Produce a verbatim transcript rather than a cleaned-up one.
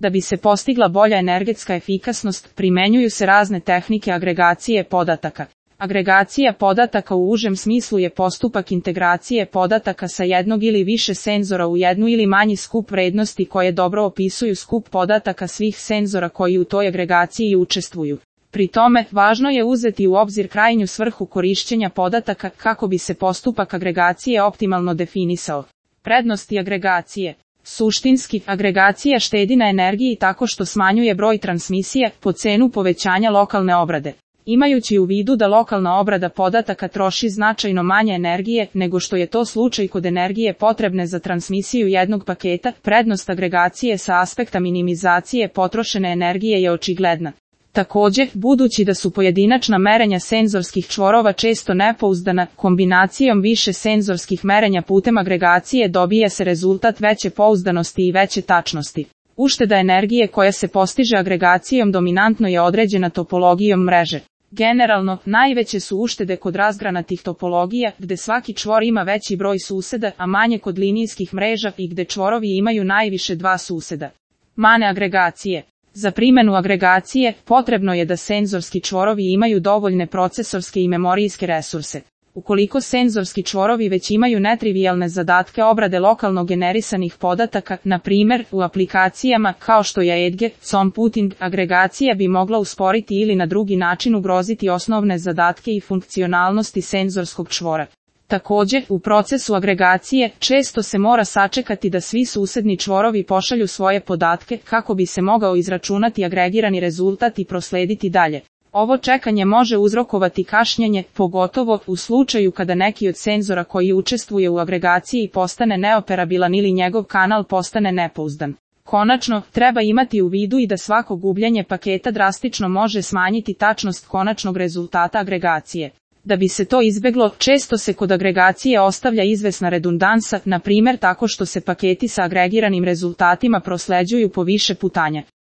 Da bi se postigla bolja energetska efikasnost, primenjuju se razne tehnike agregacije podataka. Agregacija podataka u užem smislu je postupak integracije podataka sa jednog ili više senzora u jednu ili manji skup vrednosti koje dobro opisuju skup podataka svih senzora koji u toj agregaciji učestvuju. Pri tome, važno je uzeti u obzir krajnju svrhu korišćenja podataka kako bi se postupak agregacije optimalno definisao. Prednosti agregacije. Suštinski, agregacija štedi na energiji tako što smanjuje broj transmisija po cenu povećanja lokalne obrade. Imajući u vidu da lokalna obrada podataka troši značajno manje energije nego što je to slučaj kod energije potrebne za transmisiju jednog paketa, prednost agregacije sa aspekta minimizacije potrošene energije je očigledna. Također, budući da su pojedinačna merenja senzorskih čvorova često nepouzdana, kombinacijom više senzorskih merenja putem agregacije dobija se rezultat veće pouzdanosti i veće tačnosti. Ušteda energije koja se postiže agregacijom dominantno je određena topologijom mreže. Generalno, najveće su uštede kod razgranatih topologija, gde svaki čvor ima veći broj suseda, a manje kod linijskih mreža i gde čvorovi imaju najviše dva suseda. Mane agregacije. Za primjenu agregacije, potrebno je da senzorski čvorovi imaju dovoljne procesorske i memorijske resurse. Ukoliko senzorski čvorovi već imaju netrivijalne zadatke obrade lokalno generisanih podataka, na primjer, u aplikacijama kao što je Edge, computing, agregacija bi mogla usporiti ili na drugi način ugroziti osnovne zadatke i funkcionalnosti senzorskog čvora. Također, u procesu agregacije, često se mora sačekati da svi susedni čvorovi pošalju svoje podatke kako bi se mogao izračunati agregirani rezultat i proslediti dalje. Ovo čekanje može uzrokovati kašnjenje, pogotovo u slučaju kada neki od senzora koji učestvuje u agregaciji postane neoperabilan ili njegov kanal postane nepouzdan. Konačno, treba imati u vidu i da svako gubljenje paketa drastično može smanjiti tačnost konačnog rezultata agregacije. Da bi se to izbeglo, često se kod agregacije ostavlja izvesna redundansa, na primjer tako što se paketi sa agregiranim rezultatima prosleđuju po više putanja.